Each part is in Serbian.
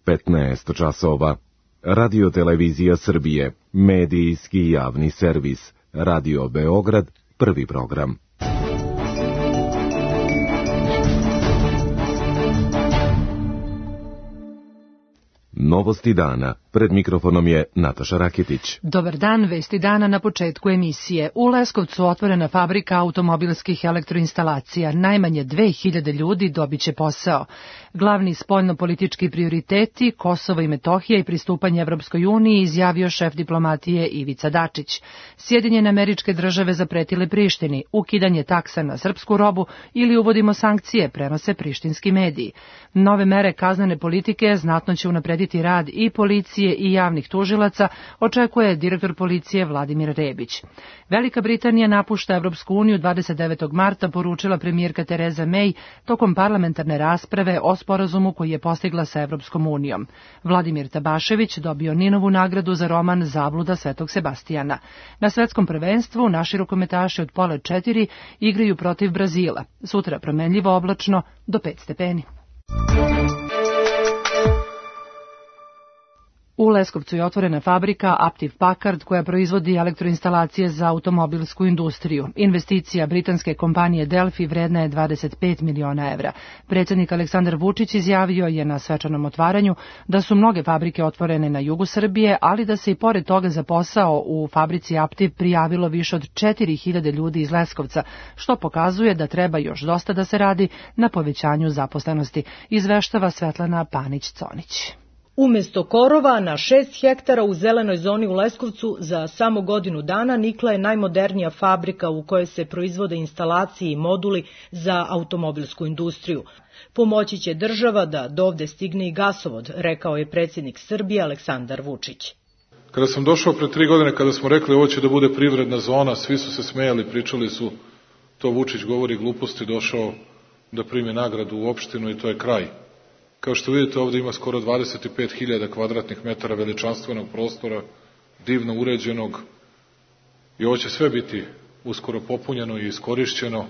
15 časova. Radio Televizija Srbije, medijski javni servis, Radio Beograd, prvi program. Novosti dana. Pred mikrofonom je Nataša Raketić. Dobar dan, vesti dana na početku emisije. U Leskovcu otvorena fabrika automobilskih elektroinstalacija. Najmanje 2000 ljudi dobiće posao. Glavni spoljnopolitički prioriteti, Kosovo i Metohija i pristupanje Evropskoj uniji, izjavio šef diplomatije Ivica Dačić. Sjedinjene Američke Države zapretile Prištini, ukidanje taksa na srpsku robu ili uvodimo sankcije, prenose prištinski mediji. Nove mere kaznene politike znatno će unaprediti rad i policije i javnih tužilaca, očekuje direktor policije Vladimir Rebić. Velika Britanija napušta Evropsku uniju 29. marta, poručila premijerka Tereza May tokom parlamentarne rasprave o sporazumu koji je postigla sa Evropskom unijom. Vladimir Tabašević dobio Ninovu nagradu za roman Zabluda Svetog Sebastijana. Na svetskom prvenstvu naši rukometaši od pola 4 igraju protiv Brazila. Sutra promenljivo oblačno do 5 stepeni. U Leskovcu je otvorena fabrika Aptiv Packard koja proizvodi elektroinstalacije za automobilsku industriju. Investicija britanske kompanije Delphi vredna je 25 miliona evra. Predsjednik Aleksandar Vučić izjavio je na svečanom otvaranju da su mnoge fabrike otvorene na jugu Srbije, ali da se i pored toga za posao u fabrici Aptiv prijavilo više od 4000 ljudi iz Leskovca, što pokazuje da treba još dosta da se radi na povećanju zaposlenosti, izveštava Svetlana Panić-Conić. Umjesto korova na 6 hektara u zelenoj zoni u Leskovcu za samo godinu dana nikla je najmodernija fabrika u kojoj se proizvode instalacije i moduli za automobilsku industriju. Pomoći će država da dovde stigne i gasovod, rekao je predsjednik Srbije Aleksandar Vučić. Kada sam došao pre 3 godine, kada smo rekli ovo će da bude privredna zona, svi su se smejali, pričali su to Vučić govori gluposti, došao da primi nagradu u opštinu i to je kraj. Kao što vidite, ovdje ima skoro 25.000 kvadratnih metara veličanstvenog prostora, divno uređenog, i ovo će sve biti uskoro popunjeno i iskorišćeno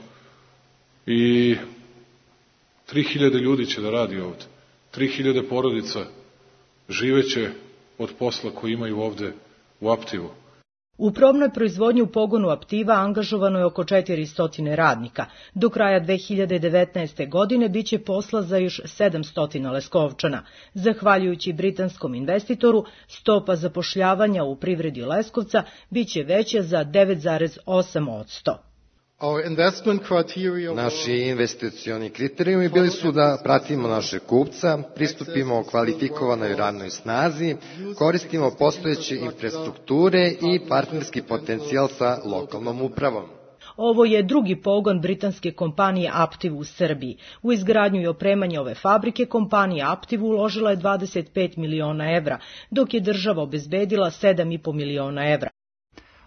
i 3.000 ljudi će da radi ovdje. 3.000 porodica živeće od posla koji imaju ovdje u Aptivu. U probnoj proizvodnji u pogonu Aptiva angažovano je oko 400 radnika. Do kraja 2019. godine biće posla za još 700 Leskovčana. Zahvaljujući britanskom investitoru, stopa zapošljavanja u privredi Leskovca biće veća za 9,8%. Naši investicioni kriterijumi bili su da pratimo naše kupca, pristupimo kvalifikovanoj radnoj snazi, koristimo postojeće infrastrukture i partnerski potencijal sa lokalnom upravom. Ovo je drugi pogon britanske kompanije Aptiv u Srbiji. U izgradnju i opremanje ove fabrike kompanija Aptiv uložila je 25 miliona evra, dok je država obezbedila 7,5 miliona evra.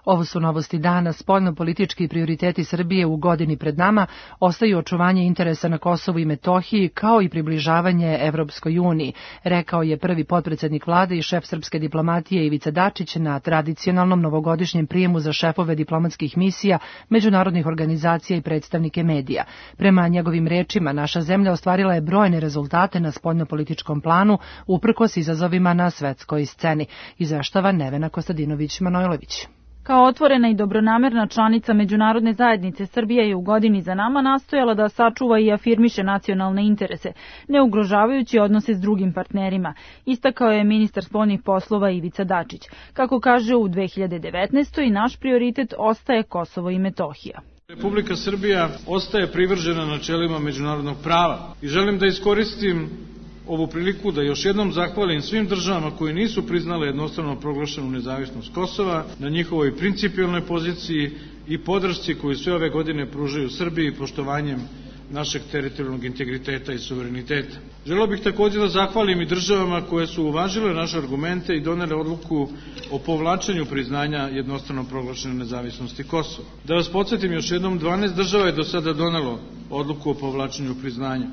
Ovo su novosti dana. Spoljnopolitički prioriteti Srbije u godini pred nama ostaju očuvanje interesa na Kosovu i Metohiji kao i približavanje Evropskoj uniji, rekao je prvi potpredsjednik vlade i šef srpske diplomatije Ivica Dačić na tradicionalnom novogodišnjem prijemu za šefove diplomatskih misija, međunarodnih organizacija i predstavnike medija. Prema njegovim rečima, naša zemlja ostvarila je brojne rezultate na spoljnopolitičkom planu uprkos izazovima na svetskoj sceni, izveštava Nevena Kostadinović-Manojlović. Kao otvorena i dobronamerna članica međunarodne zajednice, Srbija je u godini za nama nastojala da sačuva i afirmiše nacionalne interese, ne ugrožavajući odnose s drugim partnerima, istakao je ministar spoljnih poslova Ivica Dačić. Kako kaže, u 2019. i naš prioritet ostaje Kosovo i Metohija. Republika Srbija ostaje privržena načelima međunarodnog prava i želim da iskoristim ovu priliku da još jednom zahvalim svim državama koje nisu priznale jednostrano proglašenu nezavisnost Kosova na njihovoj principijelnoj poziciji i podršci koju sve ove godine pružaju Srbiji poštovanjem našeg teritorijalnog integriteta i suvereniteta. Želeo bih također da zahvalim i državama koje su uvažile naše argumente i donele odluku o povlačenju priznanja jednostrano proglašene nezavisnosti Kosova. Da vas podsjetim još jednom, 12 država je do sada donelo odluku o povlačenju priznanja.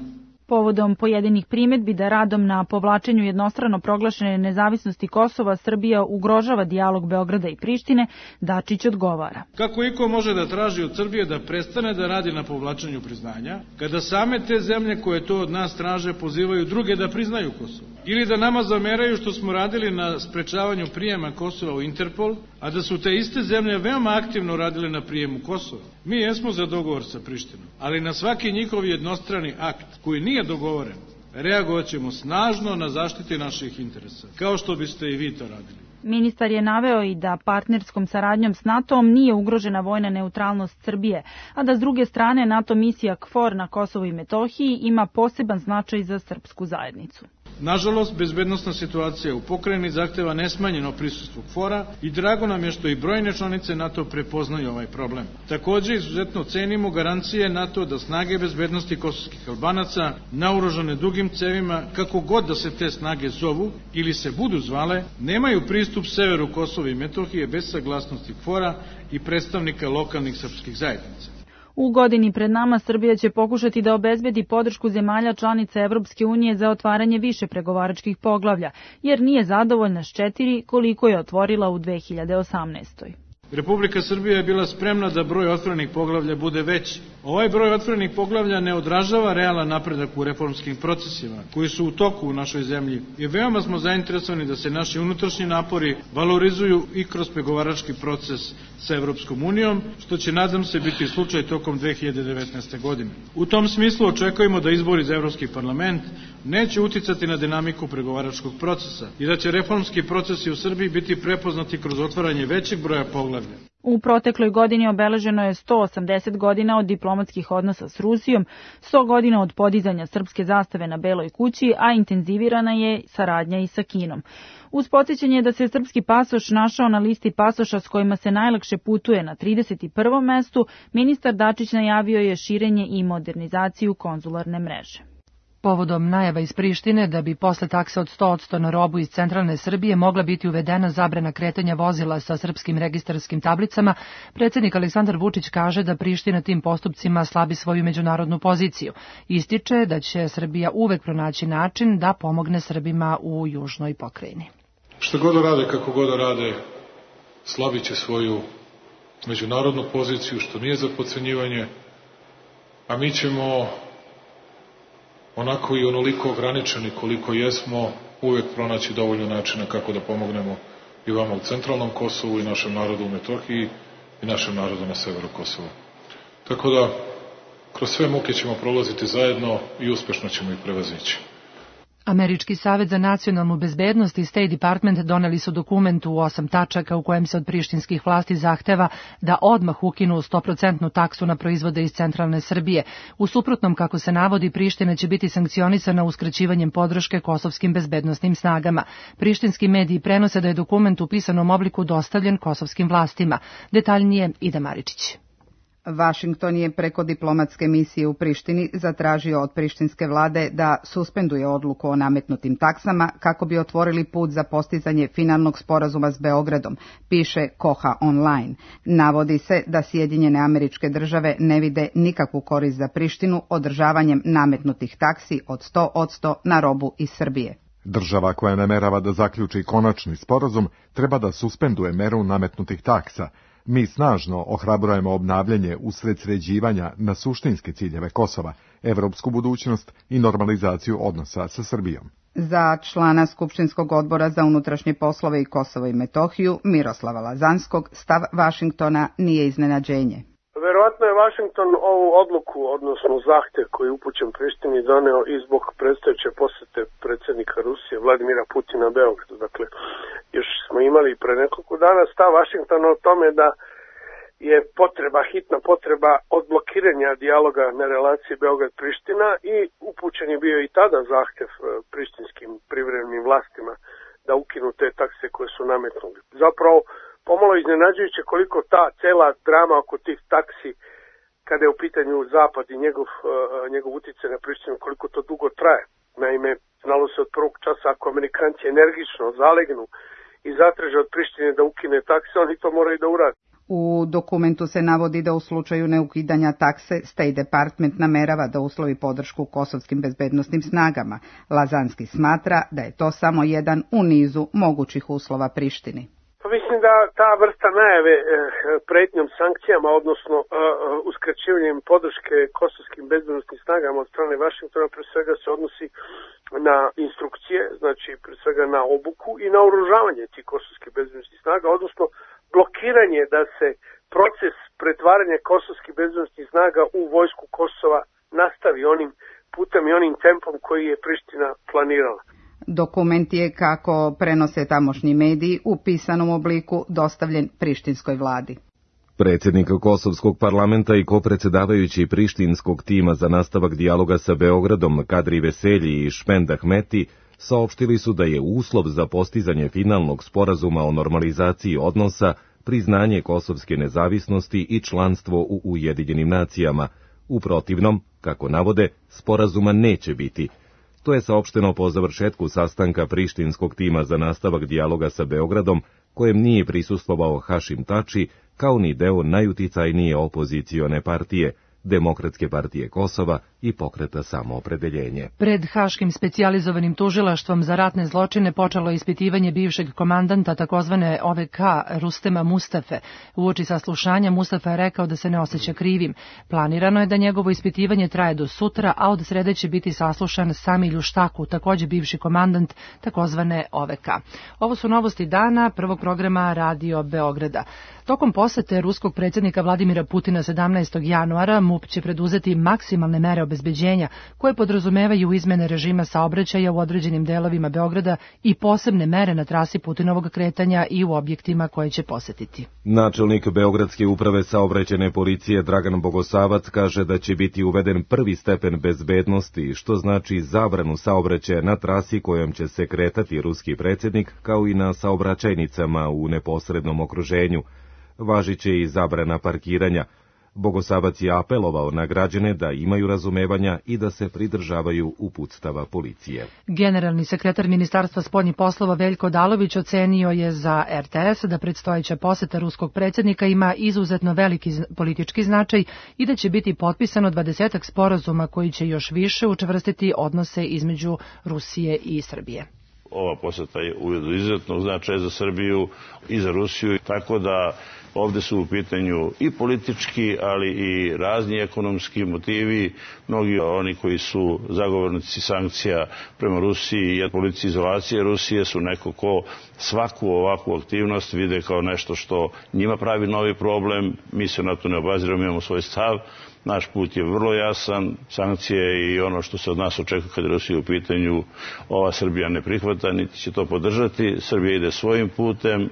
Povodom pojedinih primjedbi da radom na povlačenju jednostrano proglašene nezavisnosti Kosova Srbija ugrožava dijalog Beograda i Prištine, Dačić odgovara. Kako iko može da traži od Srbije da prestane da radi na povlačenju priznanja, kada same te zemlje koje to od nas traže pozivaju druge da priznaju Kosovo? Ili da nama zameraju što smo radili na sprečavanju prijema Kosova u Interpol, a da su te iste zemlje veoma aktivno radile na prijemu Kosova? Mi jesmo za dogovor sa Prištinom, ali na svaki njihov jednostrani akt koji nije dogovoren, reagovat ćemo snažno na zaštiti naših interesa, kao što biste i vi to radili. Ministar je naveo i da partnerskom saradnjom s NATO-om nije ugrožena vojna neutralnost Srbije, a da s druge strane NATO misija KFOR na Kosovu i Metohiji ima poseban značaj za srpsku zajednicu. Nažalost, bezbednosna situacija u pokrajini zahteva nesmanjeno prisustvo KFOR-a i drago nam je što i brojne članice NATO prepoznaju ovaj problem. Takođe, izuzetno cenimo garancije NATO da snage bezbednosti kosovskih Albanaca, naoružane dugim cevima, kako god da se te snage zovu ili se budu zvale, nemaju pristup severu Kosova i Metohije bez saglasnosti KFOR-a i predstavnika lokalnih srpskih zajednica. U godini pred nama Srbija će pokušati da obezbedi podršku zemalja članica Evropske unije za otvaranje više pregovaračkih poglavlja, jer nije zadovoljna s 4 koliko je otvorila u 2018. Republika Srbija je bila spremna da broj otvorenih poglavlja bude veći. Ovaj broj otvorenih poglavlja ne odražava realan napredak u reformskim procesima koji su u toku u našoj zemlji i veoma smo zainteresovani da se naši unutrašnji napori valorizuju i kroz pregovarački proces sa Evropskom unijom, što će, nadam se, biti slučaj tokom 2019. godine. U tom smislu očekujemo da izbori za Evropski parlament neće uticati na dinamiku pregovaračkog procesa i da će reformski procesi u Srbiji biti prepoznati kroz otvaranje većeg broja poglavlja. U protekloj godini obeleženo je 180 godina od diplomatskih odnosa s Rusijom, 100 godina od podizanja srpske zastave na Beloj kući, a intenzivirana je saradnja i sa Kinom. Uz podsjećanje da se srpski pasoš našao na listi pasoša s kojima se najlakše putuje na 31. mestu, ministar Dačić najavio je širenje i modernizaciju konzularne mreže. Povodom najava iz Prištine da bi posle takse od 100% na robu iz centralne Srbije mogla biti uvedena zabrana kretanja vozila sa srpskim registarskim tablicama, predsjednik Aleksandar Vučić kaže da Priština tim postupcima slabi svoju međunarodnu poziciju. Ističe da će Srbija uvek pronaći način da pomogne Srbima u južnoj pokrajini. Što god rade, kako god rade, slabit će svoju međunarodnu poziciju, što nije za podcenjivanje, a mi ćemo onako i onoliko ograničeni koliko jesmo, uvek pronaći dovoljno načina kako da pomognemo i vama u centralnom Kosovu i našem narodu u Metohiji i našem narodu na severu Kosova. Tako da, kroz sve muke ćemo prolaziti zajedno i uspešno ćemo ih prevazići. Američki savet za nacionalnu bezbednost i State Department doneli su dokument u 8 tačaka u kojem se od prištinskih vlasti zahteva da odmah ukinu 100% taksu na proizvode iz centralne Srbije. U suprotnom, kako se navodi, Priština će biti sankcionisana uskraćivanjem podrške kosovskim bezbednosnim snagama. Prištinski mediji prenose da je dokument u pisanom obliku dostavljen kosovskim vlastima. Detaljnije Ida Maričić. Vašington je preko diplomatske misije u Prištini zatražio od prištinske vlade da suspenduje odluku o nametnutim taksama kako bi otvorili put za postizanje finalnog sporazuma s Beogradom, piše Koha Online. Navodi se da Sjedinjene Američke Države ne vide nikakvu korist za Prištinu održavanjem nametnutih taksi od 100% na robu iz Srbije. Država koja namerava da zaključi konačni sporazum treba da suspenduje meru nametnutih taksa. Mi snažno ohrabrujemo obnavljanje usred sređivanja na suštinske ciljeve Kosova, evropsku budućnost i normalizaciju odnosa sa Srbijom. Za člana Skupštinskog odbora za unutrašnje poslove i Kosovo i Metohiju, Miroslava Lazanskog, stav Vašingtona nije iznenađenje. Verovatno je Vašington ovu odluku, odnosno zahtev koji je upućen Prištini, doneo i zbog predstojeće posete predsjednika Rusije Vladimira Putina Beogradu. Dakle, još smo imali pre nekoliko dana stav Vašingtona o tome da je hitna potreba odblokiranja dijaloga na relaciji Beograd-Priština i upućen je bio i tada zahtev prištinskim privremenim vlastima da ukinu te takse koje su nametnuli. Zapravo, pomalo iznenađujuće koliko ta cela drama oko tih taksi, kada je u pitanju Zapad i njegov utjecaj na Prištinu, koliko to dugo traje. Naime, znalo se od prvog časa, ako Amerikanci energično zalegnu i zatraže od Prištine da ukine takse, oni to moraju da urade. U dokumentu se navodi da u slučaju neukidanja takse State Department namerava da uslovi podršku kosovskim bezbednosnim snagama. Lazanski smatra da je to samo jedan u nizu mogućih uslova Prištini. Mislim da ta vrsta najave pretnjom sankcijama, odnosno uskraćivanjem podrške kosovskim bezbednosnim snagama od strane Vašingtona, pre svega se odnosi na instrukcije, znači pre svega na obuku i na oružavanje tih kosovskih bezbednosnih snaga, odnosno blokiranje da se proces pretvaranja kosovskih bezbednosnih snaga u vojsku Kosova nastavi onim putem i onim tempom koji je Priština planirala. Dokument je, kako prenose tamošnji mediji, u pisanom obliku dostavljen prištinskoj vladi. Predsjednik Kosovskog parlamenta i kopredsjedavajući prištinskog tima za nastavak dijaloga sa Beogradom Kadri Veselji i Špend Ahmeti saopštili su da je uslov za postizanje finalnog sporazuma o normalizaciji odnosa priznanje kosovske nezavisnosti i članstvo u Ujedinjenim nacijama. U protivnom, kako navode, sporazuma neće biti. To je saopšteno po završetku sastanka prištinskog tima za nastavak dijaloga sa Beogradom, kojem nije prisustvovao Hašim Tači, kao ni deo najuticajnije opozicione partije, Demokratske partije Kosova i Pokreta samoopredeljenje. Pred Haškim specijalizovanim tužilaštvom za ratne zločine počelo ispitivanje bivšeg komandanta takozvane OVK Rustema Mustafe. Uoči saslušanja Mustafa je rekao da se ne osjeća krivim. Planirano je da njegovo ispitivanje traje do sutra, a od srede će biti saslušan Sami Ljuštaku, takođe bivši komandant takozvane OVK. Ovo su novosti dana prvog programa Radio Beograda. Tokom posete ruskog predsjednika Vladimira Putina 17. januara MUP će preduzeti maksimalne mere obezbeđenja koje podrazumevaju izmene režima saobraćaja u određenim delovima Beograda i posebne mere na trasi Putinovog kretanja i u objektima koje će posetiti. Načelnik Beogradske uprave saobraćajne policije Dragan Bogosavac kaže da će biti uveden prvi stepen bezbednosti, što znači zabranu saobraćaja na trasi kojom će se kretati ruski predsjednik, kao i na saobraćajnicama u neposrednom okruženju. Važiće i zabrana parkiranja. Bogosavac je apelovao na građane da imaju razumevanja i da se pridržavaju uputstava policije. Generalni sekretar Ministarstva spoljnih poslova Veljko Odalović ocenio je za RTS da predstojeća poseta ruskog predsjednika ima izuzetno veliki politički značaj i da će biti potpisano 20 sporazuma koji će još više učvrstiti odnose između Rusije i Srbije. Ova poseta je u izuzetnog značaja za Srbiju i za Rusiju, tako da ovde su u pitanju i politički, ali i razni ekonomski motivi. Mnogi oni koji su zagovornici sankcija prema Rusiji i politici izolacije Rusije su neko ko svaku ovakvu aktivnost vide kao nešto što njima pravi novi problem. Mi se na to ne obaziramo, imamo svoj stav. Naš put je vrlo jasan, sankcije i ono što se od nas očekuje kad je Rusija u pitanju, ova Srbija ne prihvata, niti će to podržati. Srbija ide svojim putem.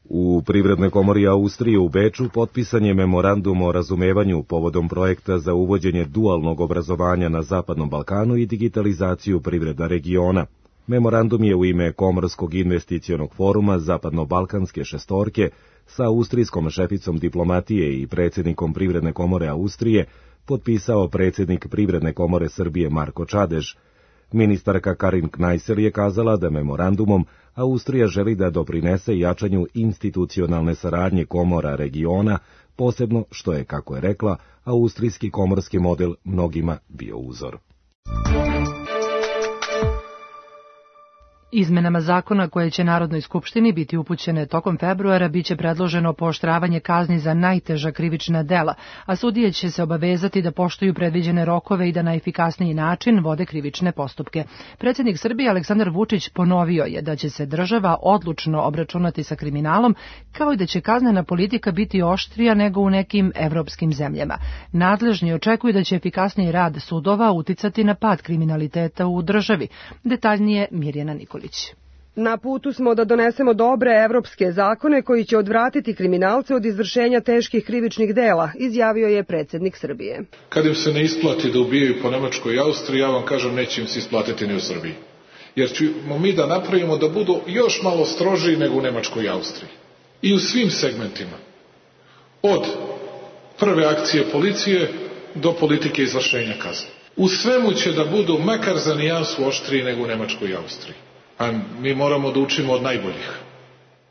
U Privrednoj komori Austrije u Beču potpisan je memorandum o razumevanju povodom projekta za uvođenje dualnog obrazovanja na Zapadnom Balkanu i digitalizaciju privredna regiona. Memorandum je u ime Komorskog investicionog foruma Zapadno-Balkanske šestorke sa austrijskom šeficom diplomatije i predsjednikom Privredne komore Austrije potpisao predsjednik Privredne komore Srbije Marko Čadež. Ministarka Karin Knajsel je kazala da memorandumom Austrija želi da doprinese jačanju institucionalne saradnje komora regiona, posebno što je, kako je rekla, austrijski komorski model mnogima bio uzor. Izmenama zakona koje će Narodnoj skupštini biti upućene tokom februara biće predloženo pooštravanje kazni za najteža krivična dela, a sudije će se obavezati da poštuju predviđene rokove i da na efikasniji način vode krivične postupke. Predsjednik Srbije Aleksandar Vučić ponovio je da će se država odlučno obračunati sa kriminalom, kao i da će kaznena politika biti oštrija nego u nekim evropskim zemljama. Nadležni očekuju da će efikasniji rad sudova uticati na pad kriminaliteta u državi. Detaljnije Mirjana Nikolić. Na putu smo da donesemo dobre evropske zakone koji će odvratiti kriminalce od izvršenja teških krivičnih dela, izjavio je predsjednik Srbije. Kad im se ne isplati da ubijaju po Nemačkoj i Austriji, ja vam kažem neće im se isplatiti ni u Srbiji. Jer ćemo mi da napravimo da budu još malo strožiji nego u Nemačkoj i Austriji. I u svim segmentima. Od prve akcije policije do politike izvršenja kazne. U svemu će da budu makar za nijansu oštriji nego u Nemačkoj i Austriji. A mi moramo da učimo od najboljih.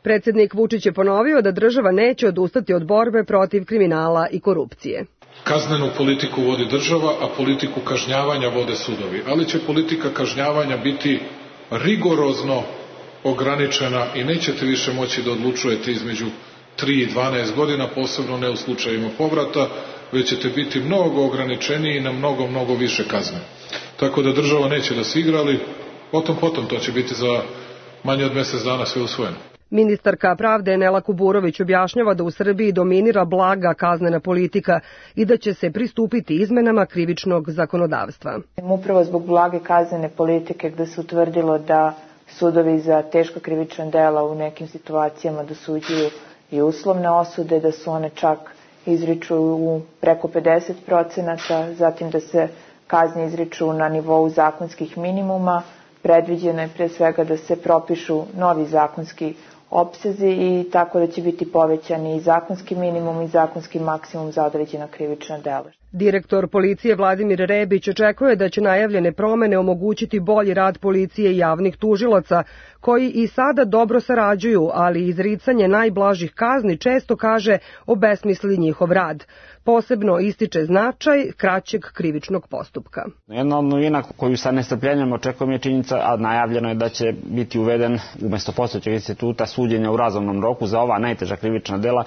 Predsednik Vučić je ponovio da država neće odustati od borbe protiv kriminala i korupcije. Kaznenu politiku vodi država, a politiku kažnjavanja vode sudovi. Ali će politika kažnjavanja biti rigorozno ograničena i nećete više moći da odlučujete između 3 i 12 godina, posebno ne u slučajima povrata, već ćete biti mnogo ograničeniji na mnogo više kazne. Tako da država neće da se igra, ali potom to će biti za manje od mesec dana sve usvojeno. Ministarka pravde Nela Kuburović objašnjava da u Srbiji dominira blaga kaznena politika i da će se pristupiti izmenama krivičnog zakonodavstva. Upravo zbog blage kaznene politike gde se utvrdilo da sudovi za teška krivična dela u nekim situacijama dosuđuju i uslovne osude, da su one čak izriču u preko 50%, zatim da se kazne izriču na nivou zakonskih minimuma, predviđeno je pre svega da se propišu novi zakonski opsezi i tako da će biti povećani i zakonski minimum i zakonski maksimum za određena krivična dela. Direktor policije Vladimir Rebić očekuje da će najavljene promene omogućiti bolji rad policije i javnih tužilaca, koji i sada dobro sarađuju, ali izricanje najblažih kazni često, kaže, obesmisli njihov rad. Posebno ističe značaj kraćeg krivičnog postupka. Jedna od novina koju sa nestrpljenjem očekujem je činjenica, a najavljeno je da će biti uveden umesto postojećeg instituta suđenja u razumnom roku za ova najteža krivična dela,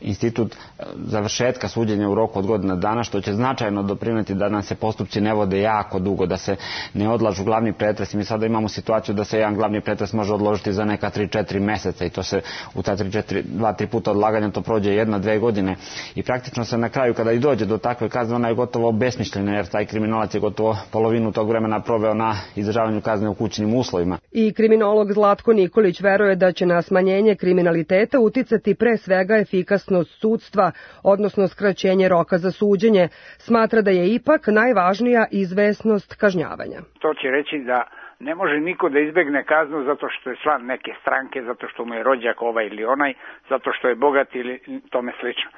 institut završetka suđenja u roku od godina dana, što će značajno doprineti da nam se postupci ne vode jako dugo, da se ne odlažu glavni pretres. Mi sada imamo situaciju da se jedan glavni pretres može odložiti za neka 3-4 meseca i to se u ta 2-3 puta odlaganja to prođe 1-2 godine. I praktično se na kraju, kada i dođe do takve kazne, ona je gotovo besmišljena, jer taj kriminalac je gotovo polovinu tog vremena proveo na izdržavanju kazne u kućnim uslovima. I kriminolog Zlatko Nikolić veruje da će na smanjenje kriminaliteta uticati pre svega efikasnost sudstva, odnosno skraćenje roka za suđenje. Smatra da je ipak najvažnija izvesnost kažnjavanja. To će reći da ne može niko da izbegne kaznu zato što je član neke stranke, zato što mu je rođak ovaj ili onaj, zato što je bogat ili tome slično.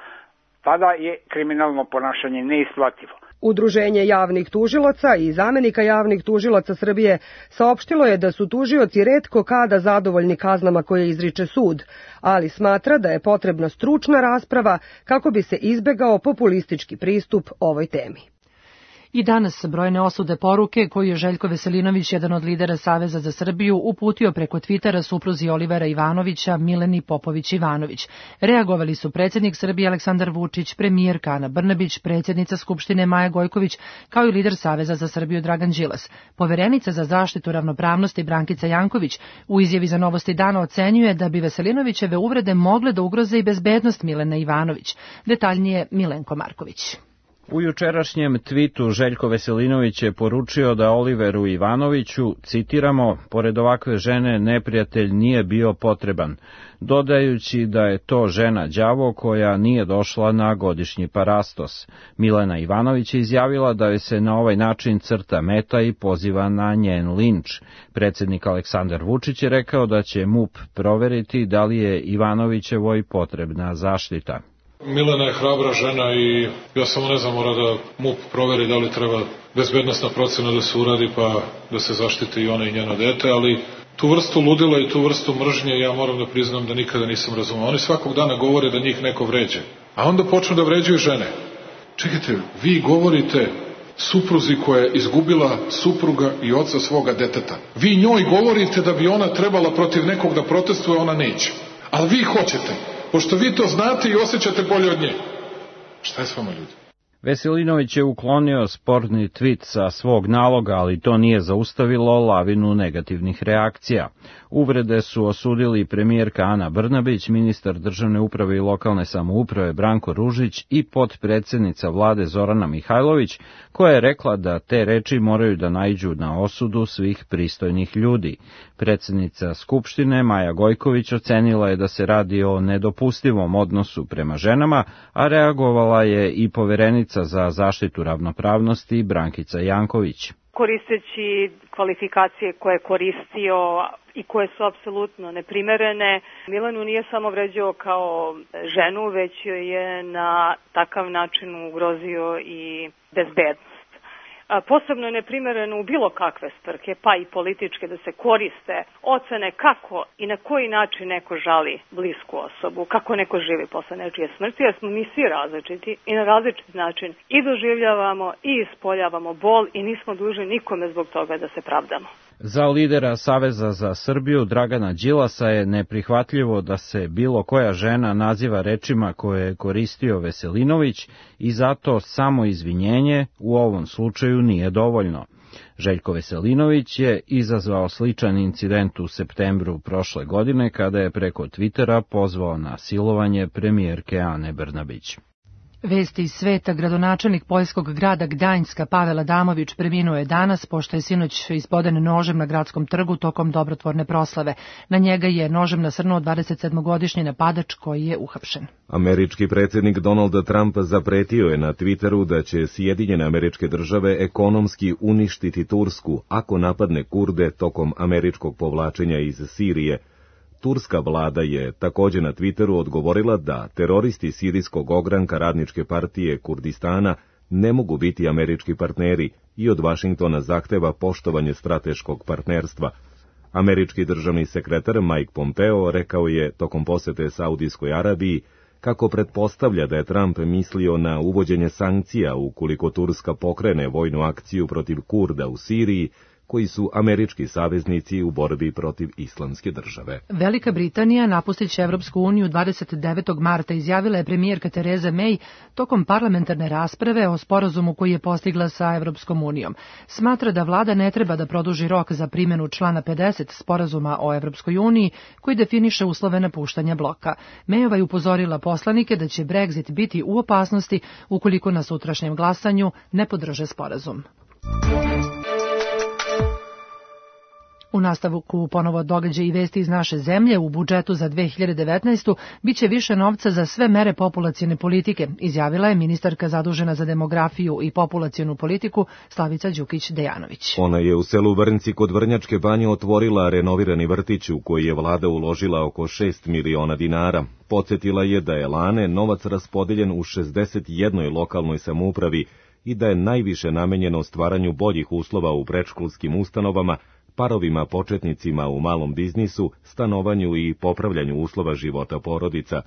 Tada je kriminalno ponašanje neisplativo. Udruženje javnih tužilaca i zamenika javnih tužilaca Srbije saopštilo je da su tužioci retko kada zadovoljni kaznama koje izriče sud, ali smatra da je potrebna stručna rasprava kako bi se izbegao populistički pristup ovoj temi. I danas brojne osude poruke koju je Željko Veselinović, jedan od lidera Saveza za Srbiju, uputio preko Twittera supruzi Olivera Ivanovića, Mileni Popović-Ivanović. Reagovali su predsjednik Srbije Aleksandar Vučić, premijerka Ana Brnabić, predsjednica Skupštine Maja Gojković, kao i lider Saveza za Srbiju Dragan Đilas. Poverenica za zaštitu ravnopravnosti Brankica Janković u izjavi za Novosti dana ocenjuje da bi Veselinovićeve uvrede mogle da ugroze i bezbednost Milene Ivanović. Detaljnije Milenko Marković. U jučerašnjem tvitu Željko Veselinović je poručio da Oliveru Ivanoviću, citiramo, pored ovakve žene neprijatelj nije bio potreban, dodajući da je to žena đavo koja nije došla na godišnji parastos. Milena Ivanović je izjavila da joj se na ovaj način crta meta i poziva na njen linč. Predsjednik Aleksandar Vučić je rekao da će MUP proveriti da li je Ivanovićevoj potrebna zaštita. Milena je hrabra žena i ja samo ne znam, mora da MUP proveri da li treba bezbednosna procena da se uradi pa da se zaštite i ona i njeno dete, ali tu vrstu ludila i tu vrstu mržnje ja moram da priznam da nikada nisam razumeo. Oni svakog dana govore da njih neko vređe, a onda počnu da vređuju žene. Čekajte, vi govorite supruzi koja je izgubila supruga i oca svoga deteta. Vi njoj govorite da bi ona trebala protiv nekog da protestuje, ona neće. Ali vi hoćete. Pošto vi to znate i osjećate bolje od nje. Šta je s vama, ljudi? Veselinović je uklonio sporni tvit sa svog naloga, ali to nije zaustavilo lavinu negativnih reakcija. Uvrede su osudili premijerka Ana Brnabić, ministar državne uprave i lokalne samouprave Branko Ružić i potpredsednica vlade Zorana Mihajlović, koja je rekla da te reči moraju da naiđu na osudu svih pristojnih ljudi. Predsjednica Skupštine Maja Gojković ocenila je da se radi o nedopustivom odnosu prema ženama, a reagovala je i poverenica za zaštitu ravnopravnosti Brankica Janković. Koristeći kvalifikacije koje je koristio i koje su apsolutno neprimerene, Milanu nije samo vređao kao ženu, već joj je na takav način ugrozio i bezbednost. posebno je neprimereno u bilo kakve svrhe, pa i političke, da se koriste ocene kako i na koji način neko žali blisku osobu, kako neko živi posle nečije smrti, jer smo mi svi različiti i na različit način i doživljavamo i ispoljavamo bol i nismo dužni nikome zbog toga da se pravdamo. Za lidera Saveza za Srbiju Dragana Đilasa je neprihvatljivo da se bilo koja žena naziva rečima koje je koristio Veselinović i zato samo izvinjenje u ovom slučaju nije dovoljno. Željko Veselinović je izazvao sličan incident u septembru prošle godine kada je preko Twittera pozvao na silovanje premijerke Ane Brnabić. Vesti iz sveta, gradonačelnik poljskog grada Gdanjska Pavel Adamović preminuo je danas pošto je sinoć ispoden nožem na gradskom trgu tokom dobrotvorne proslave. Na njega je nožem nasrnuo 27-godišnji napadač koji je uhapšen. Američki predsjednik Donald Trump zapretio je na Twitteru da će Sjedinjene Američke Države ekonomski uništiti Tursku ako napadne Kurde tokom američkog povlačenja iz Sirije. Turska vlada je također na Twitteru odgovorila da teroristi sirijskog ogranka Radničke partije Kurdistana ne mogu biti američki partneri i od Vašingtona zahteva poštovanje strateškog partnerstva. Američki državni sekretar Mike Pompeo rekao je tokom posete Saudijskoj Arabiji kako pretpostavlja da je Trump mislio na uvođenje sankcija ukoliko Turska pokrene vojnu akciju protiv Kurda u Siriji, koji su američki saveznici u borbi protiv islamske države. Velika Britanija napustit će Evropsku uniju 29. marta, izjavila je premijerka Theresa May tokom parlamentarne rasprave o sporazumu koji je postigla sa Evropskom unijom. Smatra da vlada ne treba da produži rok za primjenu člana 50 sporazuma o Evropskoj uniji koji definiše uslove napuštanja bloka. Mayova je upozorila poslanike da će Brexit biti u opasnosti ukoliko na sutrašnjem glasanju ne podrže sporazum. U nastavku ponovo događaja i vesti iz naše zemlje. U budžetu za 2019. biće više novca za sve mere populacione politike, izjavila je ministarka zadužena za demografiju i populacionu politiku Slavica Đukić-Dejanović. Ona je u selu Vrnci kod Vrnjačke banje otvorila renovirani vrtić u koji je vlada uložila oko 6 miliona dinara. Podsjetila je da je lane novac raspodeljen u 61 lokalnoj samoupravi i da je najviše namenjeno stvaranju boljih uslova u predškolskim ustanovama, parovima početnicima u malom biznisu, stanovanju i popravljanju uslova života porodica.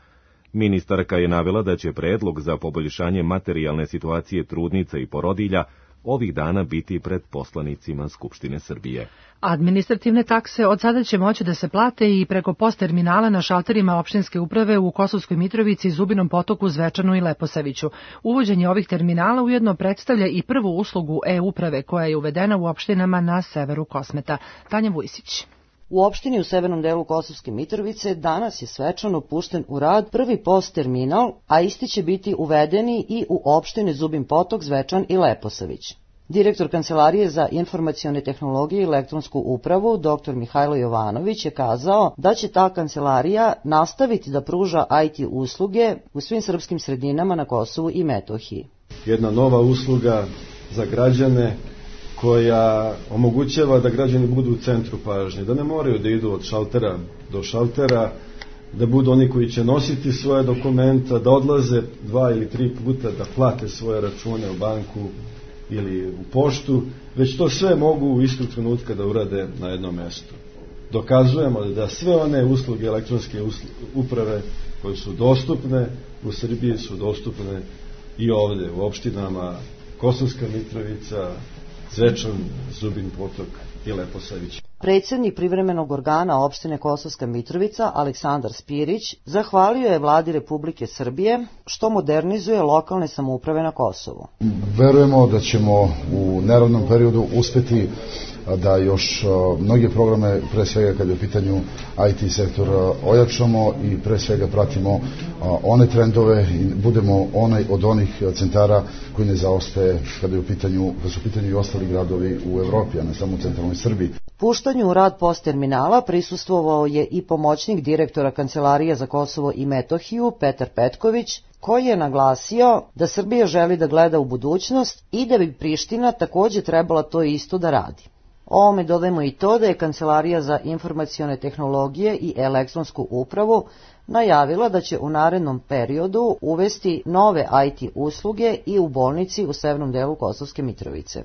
Ministarka je navela da će predlog za poboljšanje materijalne situacije trudnica i porodilja ovih dana biti pred poslanicima Skupštine Srbije. Administrativne takse od sada će moći da se plate i preko post terminala na šalterima opštinske uprave u Kosovskoj Mitrovici, Zubinom Potoku, Zvečanu i Leposaviću. Uvođenje ovih terminala ujedno predstavlja i prvu uslugu e-uprave koja je uvedena u opštinama na severu Kosmeta. Tanja Vujsić. U opštini u severnom delu Kosovske Mitrovice danas je svečano pušten u rad prvi post terminal, a isti će biti uvedeni i u opštine Zubin Potok, Zvečan i Leposavić. Direktor Kancelarije za informacione tehnologije i elektronsku upravu, dr. Mihajlo Jovanović, je kazao da će ta kancelarija nastaviti da pruža IT usluge u svim srpskim sredinama na Kosovu i Metohiji. Jedna nova usluga za građane koja omogućava da građani budu u centru pažnje, da ne moraju da idu od šaltera do šaltera, da budu oni koji će nositi svoje dokumenta, da odlaze 2 ili 3 puta da plate svoje račune u banku ili u poštu, već to sve mogu u istog trenutka da urade na jednom mjestu. Dokazujemo da sve one usluge elektronske uprave koje su dostupne u Srbiji su dostupne i ovde u opštinama Kosovska Mitrovica, Zvečan, Zubin Potok i Leposavić. Predsjednik privremenog organa opštine Kosovska Mitrovica, Aleksandar Spirić, zahvalio je vladi Republike Srbije što modernizuje lokalne samouprave na Kosovu. Verujemo da ćemo u neravnom periodu uspeti da još mnoge programe, pre svega kada je u pitanju IT sektor, ojačamo i pre svega pratimo one trendove i budemo onaj od onih centara koji ne zaostaje kada su u pitanju i ostali gradovi u Evropi, a ne samo u centralnoj Srbiji. Puštanju u rad post terminala prisustvovao je i pomoćnik direktora Kancelarije za Kosovo i Metohiju, Petar Petković, koji je naglasio da Srbija želi da gleda u budućnost i da bi Priština također trebala to isto da radi. Ovome dodajemo i to da je Kancelarija za informacione tehnologije i elektronsku upravu najavila da će u narednom periodu uvesti nove IT usluge i u bolnici u severnom delu Kosovske Mitrovice.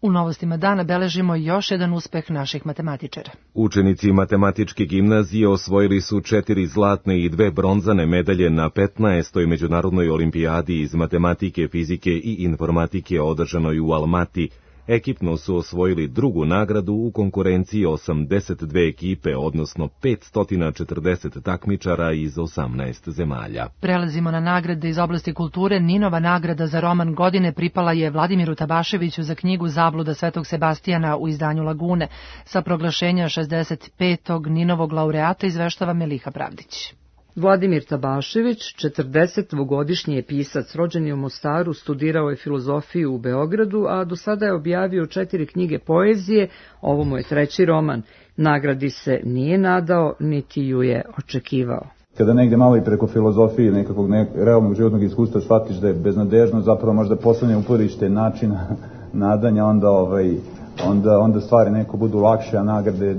U novostima dana beležimo još jedan uspeh naših matematičara. Učenici matematičke gimnazije osvojili su 4 zlatne i 2 bronzane medalje na 15. međunarodnoj olimpijadi iz matematike, fizike i informatike održanoj u Almati. Ekipno su osvojili drugu nagradu u konkurenciji 82 ekipe, odnosno 540 takmičara iz 18 zemalja. Prelazimo na nagrade iz oblasti kulture. Ninova nagrada za roman godine pripala je Vladimiru Tabaševiću za knjigu Zabluda Svetog Sebastijana u izdanju Lagune. Sa proglašenja 65. Ninovog laureata izveštava Meliha Pravdić. Vladimir Tabašević, 42-godišnji je pisac, rođen je u Mostaru, studirao je filozofiju u Beogradu, a do sada je objavio 4 knjige poezije, ovo mu je 3. roman. Nagradi se nije nadao, niti ju je očekivao. Kada negde malo i preko filozofije nekakvog realnog životnog iskustva shvatiš da je beznadežno, zapravo možda poslednje uporište načina nadanja, onda stvari neko budu lakše, a nagrade,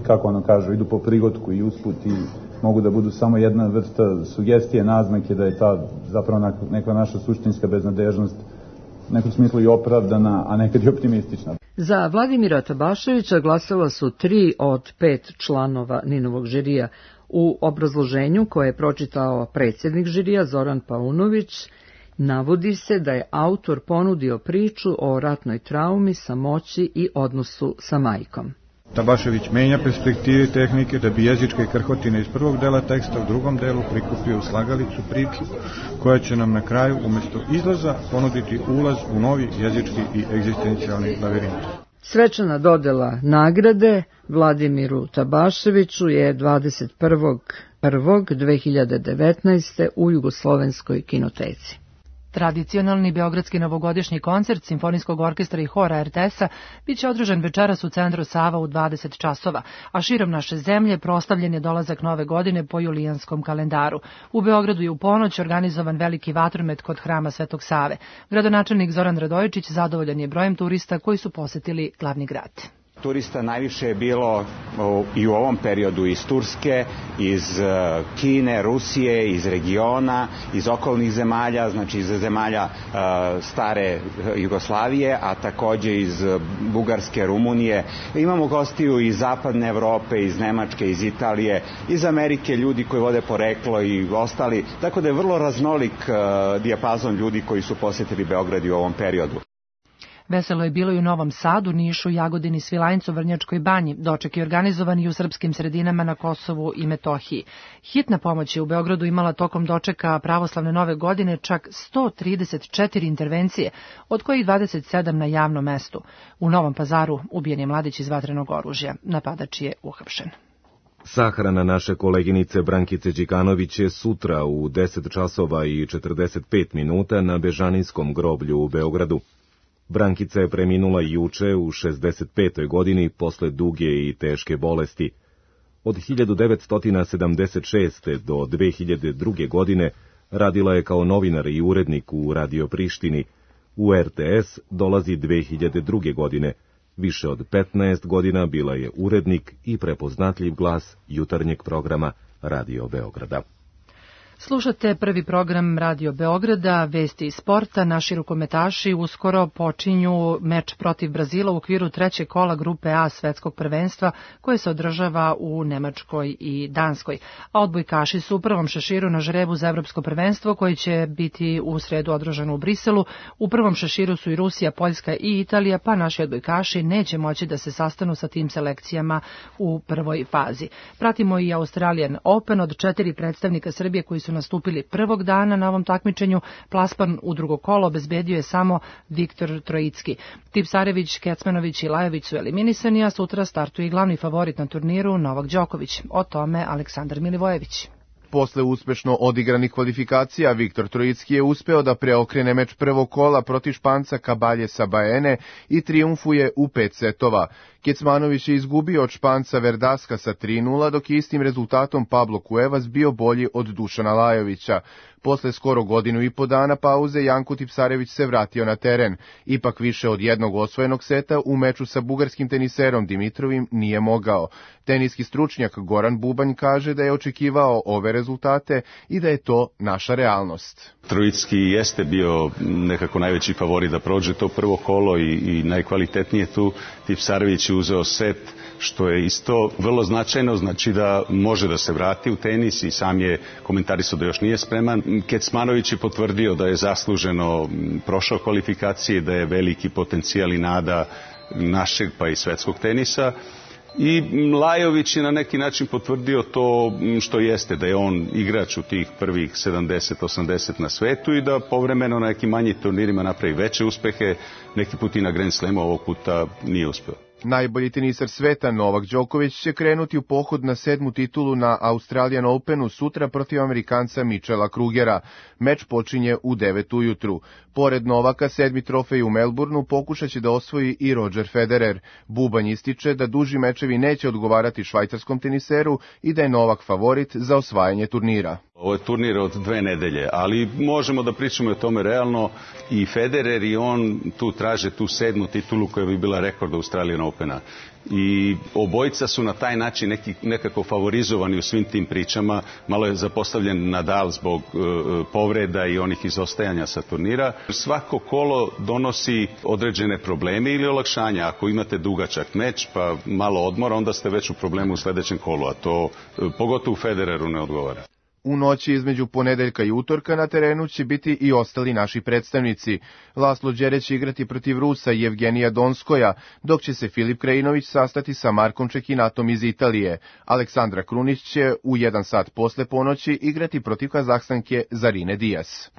kako ono kažu, idu po prigodku i usput i mogu da budu samo jedna vrsta sugestije, naznake da je ta zapravo neka naša suštinska beznadežnost u nekom smislu i opravdana, a nekad i optimistična. Za Vladimira Tabaševića glasala su 3 od 5 članova Ninovog žirija. U obrazloženju koje je pročitao predsjednik žirija Zoran Paunović, navodi se da je autor ponudio priču o ratnoj traumi, samoći i odnosu sa majkom. Tabašević menja perspektive tehnike da bi jezičke krhotine iz prvog dela teksta u drugom delu prikupio u slagalicu priču koja će nam na kraju umjesto izlaza ponuditi ulaz u novi jezički i egzistencijalni lavirint. Svečana dodela nagrade Vladimiru Tabaševiću je 21.1.2019. u Jugoslovenskoj kinoteci. Tradicionalni beogradski novogodišnji koncert Simfonijskog orkestra i hora RTS-a biće održan večeras u Centru Sava u 20 časova, a širom naše zemlje proslavljen je dolazak nove godine po julijanskom kalendaru. U Beogradu je u ponoć organizovan veliki vatromet kod hrama Svetog Save. Gradonačelnik Zoran Radojičić zadovoljan je brojem turista koji su posetili glavni grad. Turista najviše je bilo i u ovom periodu iz Turske, iz Kine, Rusije, iz regiona, iz okolnih zemalja, znači iz zemalja stare Jugoslavije, a takođe iz Bugarske, Rumunije. Imamo gostiju iz zapadne Evrope, iz Nemačke, iz Italije, iz Amerike, ljudi koji vode poreklo i ostali. Tako da je vrlo raznolik dijapazon ljudi koji su posetili Beograd u ovom periodu. Veselo je bilo i u Novom Sadu, Nišu, Jagodini, Svilajncu, Vrnjačkoj banji. Doček je organizovan i u srpskim sredinama na Kosovu i Metohiji. Hitna pomoć je u Beogradu imala tokom dočeka pravoslavne nove godine čak 134 intervencije, od kojih 27 na javnom mestu. U Novom Pazaru ubijen je mladić iz vatrenog oružja. Napadač je uhapšen. Sahrana naše koleginice Brankice Đikanović je sutra u 10 časova i 45 minuta na Bežaninskom groblju u Beogradu. Brankica je preminula juče u 65. godini posle duge i teške bolesti. Od 1976. do 2002. godine radila je kao novinar i urednik u Radio Prištini. U RTS dolazi 2002. godine. Više od 15 godina bila je urednik i prepoznatljiv glas jutarnjeg programa Radio Beograda. Slušate prvi program Radio Beograda, vesti iz sporta. Naši rukometaši uskoro počinju meč protiv Brazila u okviru 3. kola grupe A svetskog prvenstva koje se održava u Nemačkoj i Danskoj. A odbojkaši su u prvom šeširu na žrebu za evropsko prvenstvo koje će biti u sredu održano u Briselu. U prvom šeširu su i Rusija, Poljska i Italija, pa naši odbojkaši neće moći da se sastanu sa tim selekcijama u prvoj fazi. Pratimo i Australian Open od 4 predstavnika Srbije koji su nastupili prvog dana na ovom takmičenju. Plasman u drugo kolo obezbedio je samo Viktor Trojicki. Tipsarević, Kecmanović i Lajović su eliminisani, a sutra startuje i glavni favorit na turniru Novak Đoković. O tome Aleksandar Milivojević. Posle uspešno odigranih kvalifikacija, Viktor Trojicki je uspeo da preokrene meč prvog kola protiv Španca Cabaljesa Baene i trijumfuje u 5 setova. Kecmanović je izgubio od Španca Verdaska sa 3:0, dok je istim rezultatom Pablo Cuevas bio bolji od Dušana Lajovića. Posle skoro godinu i po dana pauze Janko Tipsarević se vratio na teren. Ipak više od jednog osvojenog seta u meču sa bugarskim teniserom Dimitrovim nije mogao. Teniski stručnjak Goran Bubanj kaže da je očekivao ove rezultate i da je to naša realnost. Trojicki jeste bio nekako najveći favorit da prođe to prvo kolo i najkvalitetnije tu. Tipsarević je uzeo set, što je isto vrlo značajno, znači da može da se vrati u tenis i sam je komentarisao da još nije spreman. Kecmanović je potvrdio da je zasluženo prošao kvalifikacije, da je veliki potencijal i nada našeg pa i svetskog tenisa. I Lajović je na neki način potvrdio to što jeste, da je on igrač u tih prvih 70-80 na svetu i da povremeno na nekim manjim turnirima napravi veće uspehe, neki put i na Grand Slamu, ovog puta nije uspeo. Najbolji tenisar sveta Novak Đoković će krenuti u pohod na 7. titulu na Australian Openu sutra protiv Amerikanca Michela Krugera. Meč počinje u 9 ujutru. Pored Novaka, 7. trofej u Melbourneu pokušat će da osvoji i Roger Federer. Bubanj ističe da duži mečevi neće odgovarati švajcarskom teniseru i da je Novak favorit za osvajanje turnira. Ovo je turnir od 2 nedelje, ali možemo da pričamo o tome realno. I Federer i on tu traže tu 7. titulu koja bi bila rekord Australian Opena. I obojica su na taj način nekako favorizovani u svim tim pričama. Malo je zapostavljen Nadal zbog povreda i onih izostajanja sa turnira. Svako kolo donosi određene probleme ili olakšanja. Ako imate dugačak meč pa malo odmora, onda ste već u problemu u sledećem kolu, a to pogotovo Federeru ne odgovara. U noći između ponedeljka i utorka na terenu će biti i ostali naši predstavnici. Laslo Đereć će igrati protiv Rusa i Evgenija Donskoja, dok će se Filip Krajinović sastati sa Markom Čekinatom iz Italije. Aleksandra Krunić će u 1 sat posle ponoći igrati protiv Kazahstanke Zarine Dijas.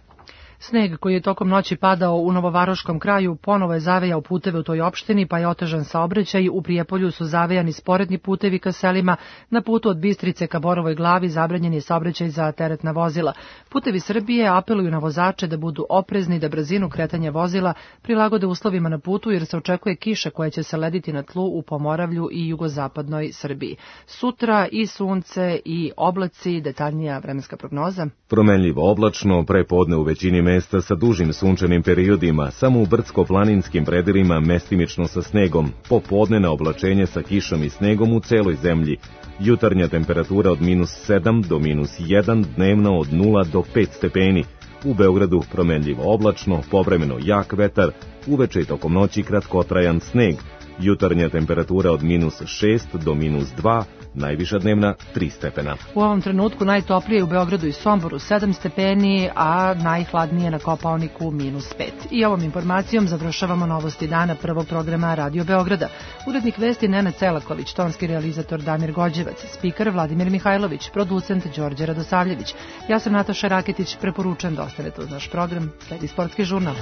Sneg koji je tokom noći padao u Novovaroškom kraju ponovo je zavejao puteve u toj opštini, pa je otežan saobraćaj. U Prijepolju su zavejani sporedni putevi ka selima. Na putu od Bistrice ka Borovoj Glavi zabranjen je saobraćaj za teretna vozila. Putevi Srbije apeluju na vozače da budu oprezni, da brzinu kretanja vozila prilagode uslovima na putu, jer se očekuje kiša koja će se lediti na tlu u Pomoravlju i jugozapadnoj Srbiji. Sutra i sunce i oblaci, detaljnija vremenska prognoza. Promenljivo oblačno, prepodne u većini mesta sa dužim sunčanim periodima, samo u brdsko-planinskim predelima mestimično sa snegom, popodne na oblačenje sa kišom i snegom u celoj zemlji. Jutarnja temperatura od -7 do -1, dnevno od 0 do 5 stepeni. U Beogradu promenljivo oblačno, povremeno jak vetar, uveče i tokom noći kratkotrajan sneg. Jutarnja temperatura od -6 do -2, najviša dnevna 3 stepena. U ovom trenutku najtoplije u Beogradu i Somboru 7 stepeni, a najhladnije na Kopaoniku -5. I ovom informacijom završavamo novosti dana prvog programa Radio Beograda. Urednik vesti Nenad Celaković, tonski realizator Damir Gođevac, spiker Vladimir Mihajlović, producent Đorđe Radosavljević. Ja sam Nataša Raketić, preporučujem da ostanete uz naš program. Sledi sportski žurnal.